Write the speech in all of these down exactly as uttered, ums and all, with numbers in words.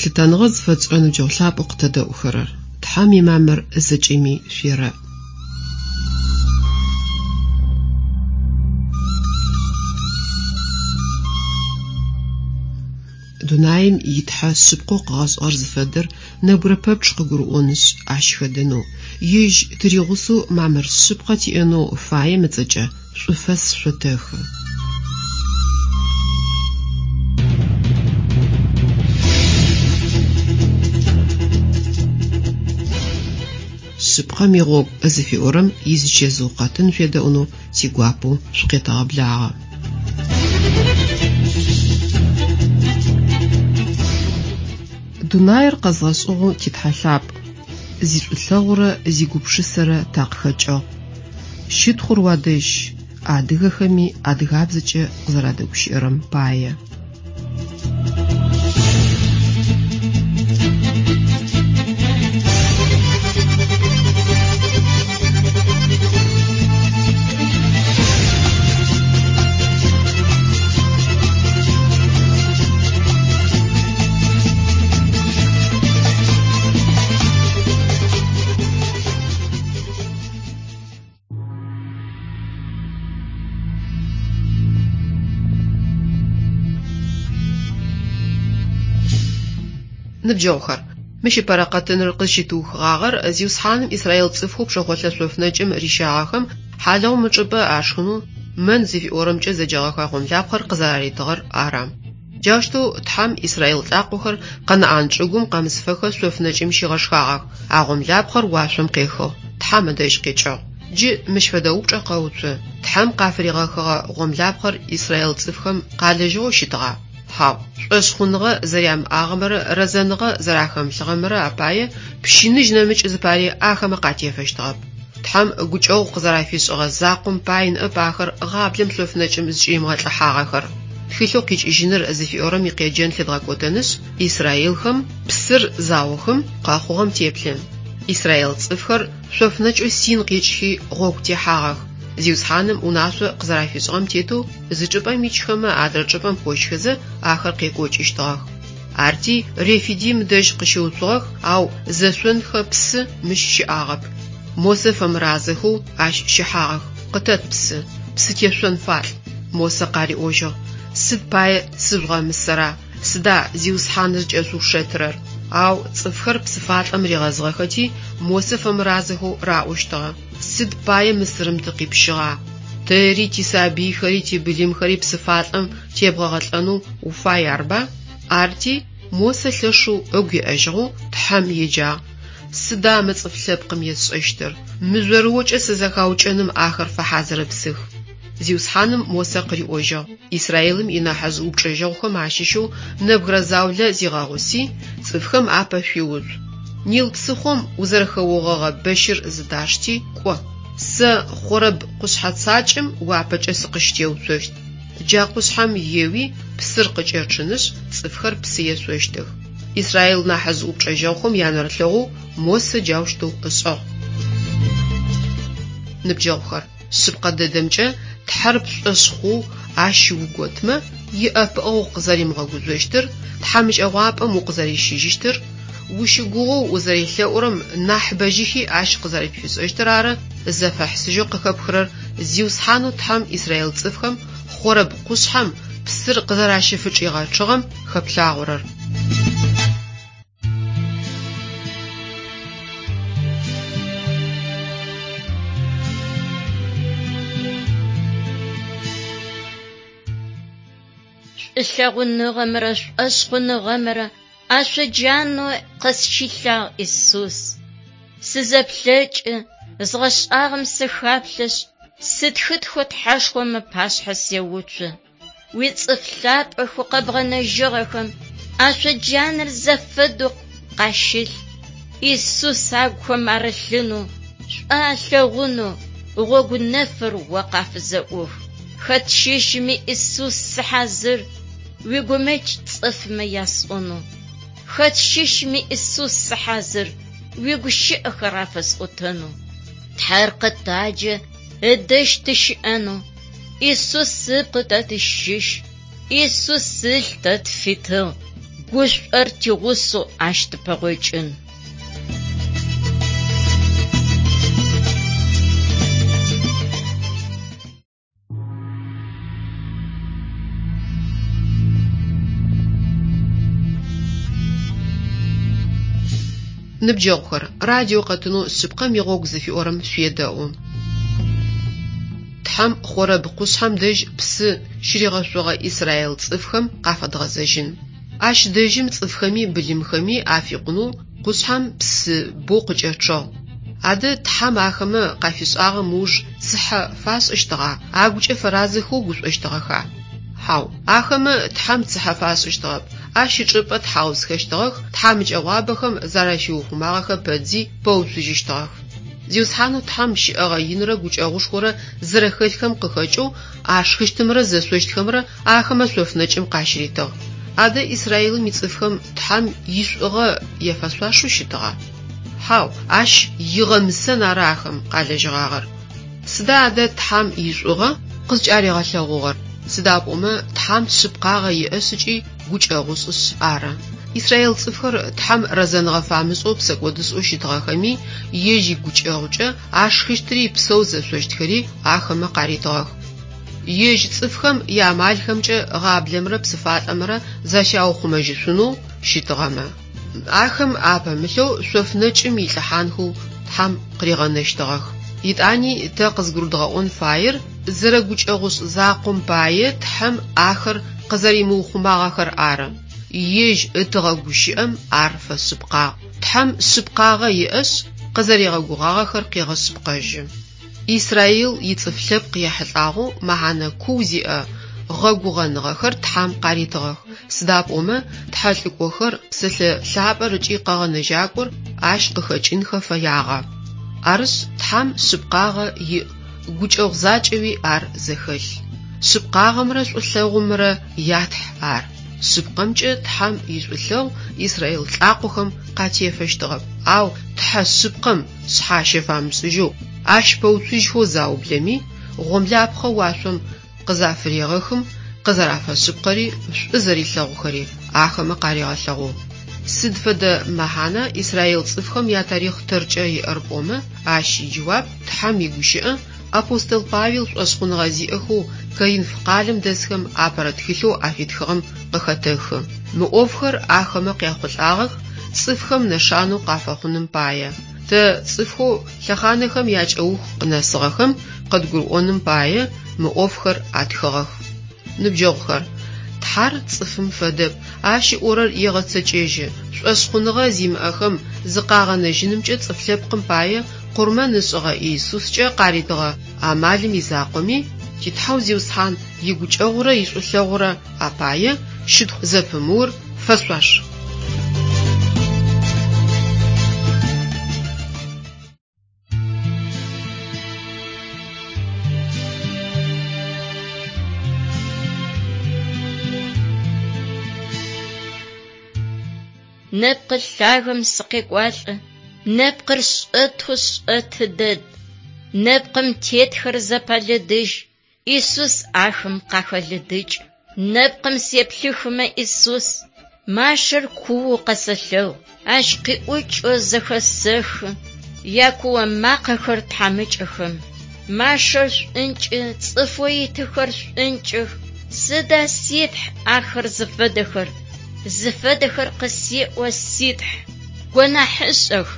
Лъытэныгъэ зыфэтшӏырэ ныбджэгъу лъапӏэу къытэдэӏухэрэр, Тхьэм имамыр зэкӏэми шъуерэӏ. Дунаим итхьэ шъыпкъэу къыгъэшӏыгъэр зыфэдэр нэбгырэ пэпчъ къыгурыӏонышъ, ащ хэдэнэу, ежь тыригъусэу мамыр шъыпкъэ тиӏэнэу фаем ыцӏэкӏэ шӏуфэс шъотэхы. Шъыпкъэм игъогу зыфиӏорэм изычэзыу къэтын шъуедэӏунэу тигуапэу шъукъетэгъэблагъэ. Дунаир къэзгъэшӏыгъэу титхьэ лъапӏ, зишӏулъэгъурэ зигупшысэрэ такъыхэкӏыгъ. Щытхъур уадэжь, адыгэхэми адыгабзэкӏэ къызэрадэгущыӏэрэм пае. Ныбджэгъухэр, мыщ ыпэрэ къэтыныр къызщытыухыгъагъэр Зиусхьаным Израил цӏыфхэу пшэхъолъэ шъофнэкӏым рищагъэхэм хьалыгъум ычӏыпӏэ ашхынэу мэн зыфиӏорэмкӏэ зэджэгъэхэ гъомлапхъэр къызэраритыгъэр ары. Джаущтэу Тхьэм Израил лӏакъохэр Къэнаӏан чӏыгум къэмысыфэхэ шъофнэкӏым щигъэшхагъэх, а гъомлапхъэр уашъом къехыгъ, Тхьэм ыдэжь къикӏыгъ. Джы мыщ фэдэ упчӏэ къэуцу: Тхьэм къафыригъэхыгъэ гъомлапхъэр Израил цӏыфхэм къалэжьыгъэу щытыгъа? Хьау, шӏошъхъуныгъэ зэрямыӏагъэмрэ рэзэныгъэ зэрахэмылъыгъэмрэ апае пщыныжь нэмыкӏ зыпари ахэмэ къатефэщтыгъэп. Тхьэм гукӏэгъу къызэрафишӏыгъэ закъом пай ныӏэп ахэр гъаблэм шъофнэкӏым зыкӏыримыгъэлӏыхьагъэхэр. Тхылъэу къикӏыжьыныр зыфиӏорэм икъеджэн лъыдгъэкӏотэнышъ, Израилхэм псыр заухым къэхъугъэм теплъын. Израил цӏыфхэр шъофнэкӏэу Син къикӏхи гъогу техьагъэх. Зиусхьаным унашъо къызэрафишӏыгъэм тетэу зы чӏыпӏэм икӏхэмэ адрэ чӏыпӏэм кӏожьхэзэ ахэр къекӏокӏыщтыгъэх. Арти Рефидим дэжь къыщыуцугъэх, ау зэшъонхэ псы мыщ щыӏагъэп. Мосэ фэмыразэхэу ащ щыхьагъэх: «Къытэт псы, псы тешъон фалӏ». Мосэ къариӏожьыгъ: «Сыд пае сыжъугъэмысэра? Сыда Зиусхьаныр зыкӏэшъуушэтырэр?» Ау цӏыфхэр псыфалӏэм ригъэзыгъэхэти, Мосэ фэмыразэхэу раӏощтыгъэ: «Сыд пае Мысырым тыкъипщыгъа? Тэри, тисабыйхэри, тибылымхэри псыфалӏэм тебгъэгъэлӏэнэу уфай арба?» Арти Мосэ лъэшэу ыгу еӏэжьыгъэу Тхьэм еджагъ: «Сыда мы цӏыф лъэпкъым есшӏэщтыр? Мыжъорыокӏэ сызэхаукӏэным ахэр фэхьазырыпсых». Зиусхьаным Мосэ къыриӏожьыгъ: Израилым инахьыжъ упчӏэжьэгъухэм ащыщэу нэбгырэ заулэ зигъэгъуси, цӏыфхэм апэ шъуиуцу. Нил псыхъом узэрэхэогъэгъэ бэщыр зыдашти, кӏо. Сэ Хъорэб къушъхьэ цакӏэм уапэкӏэ сыкъыщытеуцощт. Джа къушъхьэм еуи, псыр къыкӏэчъынышъ, цӏыфхэр псы ешъощтых. Израил нахьыжъ упчӏэжьэгъухэм янэрылъэгъоу Мосэ джаущтэу ышӏыгъ. Ныбджэгъухэр, шъыпкъэ дэдэмкӏэ Тхьэр пшӏошъ хъоу ащ уготмэ, иӏэпыӏэгъу къызэримыгъэгужъощтыр, тхьамыкӏэгъуапӏэм укъызэрищыжьыщтыр, ущыгугъоу узэрелъэӏурэм нахь бэжьыхи ащ къызэрэпфишӏэщтыр ары зэфэхьысыжьэу къыхэпхырэр Зиусхьанэу Тхьэм Израил цӏыфхэм Хъорэб къушъхьэм псыр къызэращыфычӏигъэчъыгъэм хэплъагъорэр. Шӏулъэгъуныгъэмрэ шӏошъхъуныгъэмрэ ашъоджанэу къысщилъагъ Исус. Сызэплъэкӏы, згъэшӏагъэм сыхаплъэшъ, сытхытхэу Тхьэшхом ыпашъхьэ сеуцу. Уицӏыф лъапӏэхэу къэбгъэнэжьыгъэхэм ашъоджанэр зэфэдэу къащылъ. Исус агухэм арылъынэу, шӏу алъэгъунэу, гъогу нэфыр о къафызэӏух. Хэт щыщми Исус сыхьазыр, уигумэкӏ цӏыфмэ ясӏонэу. Хэт щыщми Исус сыхьазыр, уигущыӏэхэр афэсӏотэнэу. Тхьэр къытаджэ ыдэжь тыщыӏэнэу. Исус ыпкъ тэ тыщыщ, Исус ылъ тэ тфитыгъ. Гушӏор тигъусэу ащ тыпэгъокӏын. Ныбджэгъухэр, радио къэтынэу «Шъыпкъэм игъогу» зыфиӏорэм шъуедэӏу. Тхьэм Хорэб къушъхьэм дэжь псы щыригъэшъогъэ Израил цӏыфхэм къафэдгъэзэжьын. Ащ дэжьым цӏыфхэми былымхэми афикъунэу къушъхьэм псы боу къыкӏэчъыгъ. Адэ Тхьэм ахэмэ къафишӏагъэм ыуж цыхьэ фашӏыщтыгъа, агукӏэ фэразэхэу гушӏощтыгъэха? Хьау, ахэмэ Тхьэм цыхьэ фашӏыщтыгъэп, ащ ычӏыпӏэ тхьаусхэщтыгъэх, тхьамыкӏэгъуабэхэм зэращиухъумагъэхэ пэтзи пэуцужьыщтыгъэх. Зиусхьанэу Тхьэм щыӏэгъэ инрэ гукӏэгъушхорэ зэрэхэлъхэм къыхэкӏэу ашхыщтымрэ зэшъощтхэмрэ ахэмэ шъоф нэкӏым къащыритыгъ. Адэ Израилым ицӏыфхэм Тхьэм ишӏугъэ яфэшъуашэу щытыгъа? Хьау, ащ игъэмысэн ары ахэм къалэжьыгъагъэр. Сыда адэ Тхьэм ишӏугъэ къызкӏаригъэлъэгъугъэр? Сыда пӏомэ Тхьэм шъыпкъагъэ иӏэшъ ыкӏи гукӏэгъушӏышъ ары. Израил цӏыфхэр Тхьэм рэзэныгъэ фамышӏэу псэкӏодышӏэу щытыгъэхэми, ежь игукӏэгъукӏэ ашхыщтыри псэу зэшъощтхэри ахэмэ къаритыгъэх. Ежь цӏыфхэм яамалхэмкӏэ гъаблэмрэ псыфалӏэмрэ защаухъумэжьышъунэу щытыгъэмэ, ахэм апэмылъэу шъоф нэкӏым илӏыхьанхэу Тхьэм къыригъэнэщтыгъэх. Итӏани тэ къызгурыдгъэӏон фаер зэрэгукӏэгъушӏ закъом пае Тхьэм ахэр къызэримыухъумагъэхэр ары. Ежь ытыгъэ гущыӏэм ар фэшъыпкъагъ. Тхьэм шъыпкъагъэ иӏэшъ, къызэригъэгугъагъэхэр къегъэшъыпкъэжьы. Израил ицӏыф лъэпкъ ехьылӏагъэу мэхьанэ куу зиӏэ гъэгугъэныгъэхэр Тхьэм къаритыгъэх. Сыда пӏомэ Тхьэ лӏыкӏохэр, Псэлъэ лъапӏэр ыкӏи къэгъэнэжьакӏор ащ къыхэкӏынхэ фэягъэ. Арышъ, Тхьэм шъыпкъагъэ иӏ, гукӏэгъу закӏэуи ар зэхэлъ. Шъыпкъагъэмрэ шӏулъэгъумрэ ятхь ар. Шъыпкъэмкӏэ Тхьэм ишӏулъэгъу Израил лӏакъохэм къатефэщтыгъэп, ау Тхьэ шъыпкъэм шъхьащэ фамышӏыжьэу, ащ пэуцужьхэу заублэми, гъомлапхъэ уашъом къызафырегъэхым къызэрафэшъыпкъэри шӏу зэрилъэгъухэри ахэмэ къаригъэлъэгъугъ. Сыд фэдэ мэхьана Израил цӏыфхэм ятарихъ тэркӏэ иӏэр пӏомэ, ащ иджэуап Тхьэм игущыӏэ апостол Павел шӏошъхъуныгъэ зиӏэхэу Коринф къалэм дэсхэм апэрэ тхылъэу афитхыгъэм къыхэтэхы. Мы ӏофхэр ахэмэ къяхъулӏагъэх цӏыфхэм нэшанэу къафэхъуным пае. Тэ цӏыфхэу лъэхъанэхэм якӏэух къынэсыгъэхэм къыдгурыӏоным пае мы ӏофхэр атхыгъэх. Ныбджэгъухэр, Тхьэр цӏыфым фэдэп, ащ ыӏорэр егъэцэкӏэжьы. Шӏошъхъуныгъэ зимыӏэхэм зыкъагъэнэжьынымкӏэ цӏыф лъэпкъым пае къурмэн ышӏыгъэ Иисускӏэ къаритыгъэ амалым изакъоми, титхьэу Зиусхьан игукӏэгъурэ ишӏулъэгъурэ апае щытхъу зэпымыур фэшъуаш. Нэпкъы лъагэм сыкъекӏуалӏэ, нэпкъыр шӏэтэу шӏэты дэд. Нэпкъым тетхэр зэпэлыдыжь, Иисус ахэм къахэлыдыкӏ. Нэпкъым сеплъыхымэ Иисус, машэр куоу къэсэлъэгъу, ащ къиӏукӏэу зэхэсэхы, якуо макъэхэр тхьамыкӏэхэм. Машэр шӏункӏы, цӏыфэу итыхэр шӏункӏых, сыда ситхь ахэр зыфэдэхэр? Зыфэдэхэр къысеӏо ситхь, гонахьышӏэх,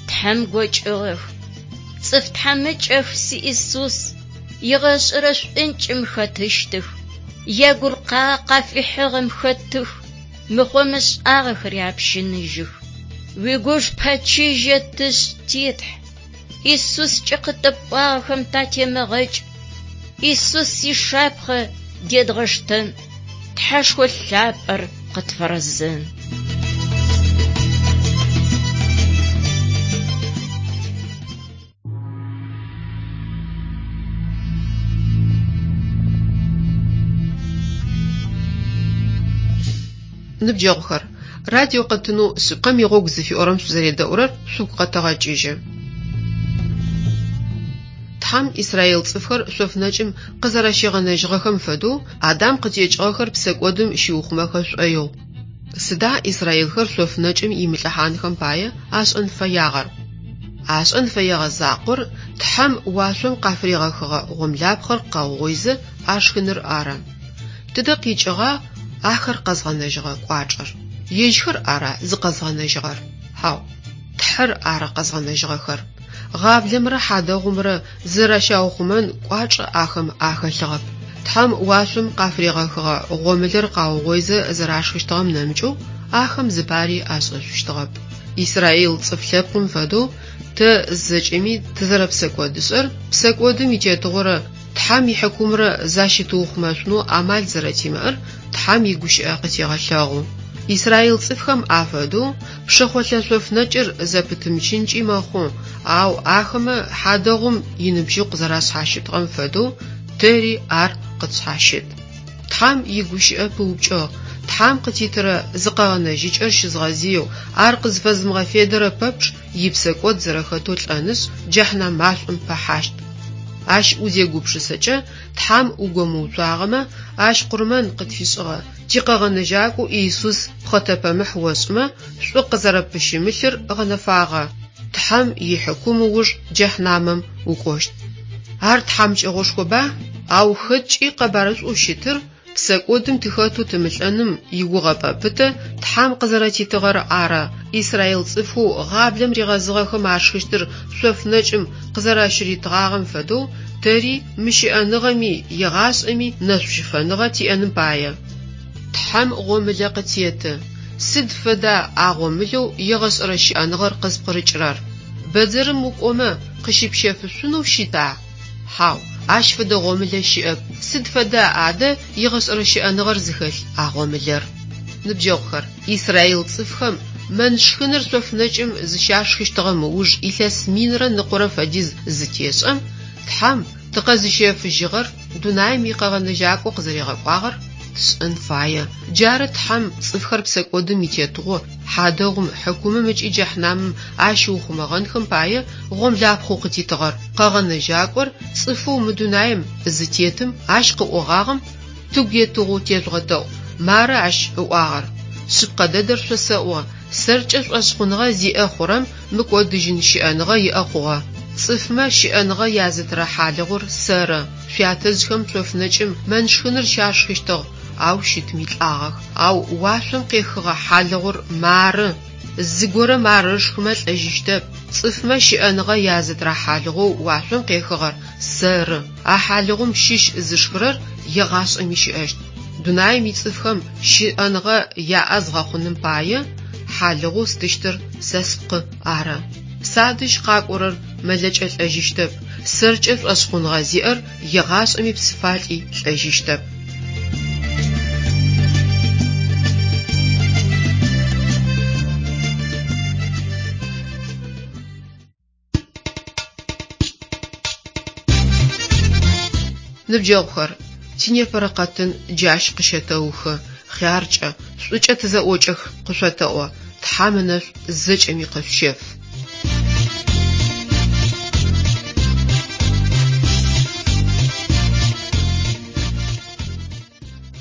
Тхьэм гокӏыгъэх. Цӏыф тхьамыкӏэх си Иисус, игъэшӏэрэ шӏункӏым хэтыщтых, ягуркъа къафихьыгъэм хэтых, мыхъо-мышӏагъэхэри апщыныжьых. Уигуж пэчыжьэ тышӏ титхь, Иисускӏэ къытэпӏуагъэхэм татемыгъэкӏ, Иисус ишапхъэ дедгъэштэн, Тхьэшхо лъапӏэр къытфэрэзэн. Ныбджэгъухэр, радио къэтынэу «Шъыпкъэм игъогу» зыфиӏорэм шъузэредэӏурэр шъугу къэтэгъэкӏыжьы. Тхьэм Израил цӏыфхэр шъоф нэкӏым къызэрэщигъэнэжьыгъэхэм фэдэу Адам къытекӏыгъэхэр псэкӏодым щиухъумэхэ шӏоигъу. Сыда исраилхэр шъоф нэкӏым имылӏыхьанхэм пае ашӏэн фэягъэр? Ашӏэн фэегъэ закъор Тхьэм уашъом къафыригъэхыгъэ гъомлапхъэр къаугъоизэ ашхыныр ары. Тыдэ къикӏыгъа ахэр къэзгъэнэжьыгъэ кӏуачӏэр? Ежьхэр ара зыкъэзгъэнэжьыгъэр? Хьау, Тхьэр ары къэзгъэнэжьыгъэхэр. Гъаблэмрэ хьадэгъумрэ зызэрэщаухъумэн кӏуачӏэ ахэм ахэлъыгъэп. Тхьэм уашъом къафыригъэхыгъэ гъомылэр къаугъоизэ зэрашхыщтыгъэм нэмыкӏэу ахэм зыпари ашӏэшъущтыгъэп. Исраил цӏыф лъэпкъым фэдэу тэ зэкӏэми тызэрэпсэкӏодышӏэр, псэкӏодым итетыгъорэ Тхьэм ихьыкумрэ защытыухъумэшъунэу амал зэрэтимыӏэр Тхьэм игущыӏэ къытегъэлъэгъу. Исраил цӏыфхэм афэдэу пшэхъолъэ шъоф нэкӏыр зэпытымычынкӏи мэхъу, ау ахэмэ хьадэгъум иныбжьыкъу зэрашъхьащытыгъэм фэдэу тэри ар къытшъхьащыт. Тхьэм игущыӏэ пыупкӏыгъ: Тхьэм къытитырэ зыкъэгъэнэжьыкӏэр щызгъэзыеу, ар къызфэзымыгъэфедэрэ пэпчъ ипсэкӏод зэрэхэтэу лӏэнышъ, джэхьнэм машӏом пэхьащт. Ащ узегупшысэкӏэ, Тхьэм угомыуцуагъэмэ, Ащ къурмэн къытфишӏыгъэ тикъэгъэнэжьакӏоу Иисус пхъэтэпэмыхь ошӏымэ, шӏу къызэрэппыщымылъыр гъэнэфагъэ, Тхьэм ихьыкум ыуж джэхьнэмым укӏощт. Ар тхьамыкӏэгъошхоба, ау хэткӏи къэбарышӏоу щытыр псэкӏодым тыхэтэу тымылӏэным игугъэпӏэ пытэ Тхьэм къызэрэтитыгъэр ары. Исраил цӏыфхэу гъаблэм ригъэзыгъэхэм ашхыщтыр шъоф нэкӏым къызэращыритыгъагъэм фэдэу тэри мы щыӏэныгъэми егъашӏэми нэшӏущыфэныгъэ тиӏэным пае. Тхьэм гъомылэ къытеты. Сыд фэда а гъомылэу егъэшӏэрэ щыӏэныгъэр къызпкъырыкӏырэр? Бэдзэрым укӏомэ къыщыпщэфышъунэу щыта? Хьау, ащ фэдэ гъомылэ щыӏэп. Сыд фэда адэ егъэшӏэрэ щыӏэныгъэр зыхэлъ а гъомылэр? Ныбджэгъухэр, Исраил цӏыфхэм мэн шхыныр шъоф нэкӏым зыщашхыщтыгъэм ыуж илъэс минрэ ныкъорэ фэдиз зытешӏэм, Тхьэм тыкъэзыщэфыжьыгъэр дунаим икъэгъэнэжьакӏо къызэригъэкӏуагъэр тшӏэн фае. Джары Тхьэм цӏыфхэр псэкӏодым итетыгъо, хьадэгъум, хьыкумым ыкӏи джэхьнэмым ащыухъумэгъэнхэм пае гъомлапхъэу къытитыгъэр. Къэгъэнэжьакӏор цӏыфэу мы дунаим зытетым ащ къыӏогъагъэм тыгу етыгъэу тежъугъэдэӏу. Мары ащ ыӏуагъэр: Шъыпкъэ дэдэр шъосэӏо, сэркӏэ шӏошъхъуныгъэ зиӏэ хъурэм мыкӏодыжьын щыӏэныгъэ иӏэ хъугъэ. Цӏыфмэ щыӏэныгъэ язытырэ хьалыгъур сэры. Шъуятэжъхэм шъоф нэкӏым мэн шхыныр щашхыщтыгъ, ау щытми лӏагъэх. Ау уашъом къехыгъэ хьалыгъур мары. Зыгорэм ар ышхымэ лӏэжьыщтэп. Цӏыфмэ щыӏэныгъэ язытырэ хьалыгъоу уашъом къехыгъэр сэры. А хьалыгъум щыщ зышхырэр егъашӏэми щыӏэщт. Дунаим ицӏыфхэм щыӏэныгъэ яӏэ згъэхъуным пае хьалыгъоу стыщтыр сэ спкъы ары. Садэжь къакӏорэр мэлэкӏэ лӏэжьыщтэп, сэркӏэ шӏошъхъуныгъэ зиӏэр егъашӏэми псыфалӏи лӏэжьыщтэп. Ныбджэгъухэр, тинепэрэ къэтын джащ къыщэтэухы. Хъяркӏэ, шӏукӏэ тызэӏокӏэх къышъотэӏо. Тхьэм ынэшӏу зэкӏэми къышъущеф.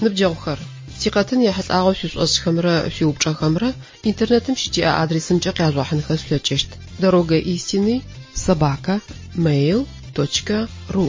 Ныбджэгъухэр, тикъэтын ехьылӏагъэу шъуишӏошӏхэмрэ шъуиупчӏэхэмрэ интернетым щытиӏэ адресымкӏэ къяжъугъэхьынхэ шъулъэкӏыщт: дорога истины собака mail точка ру.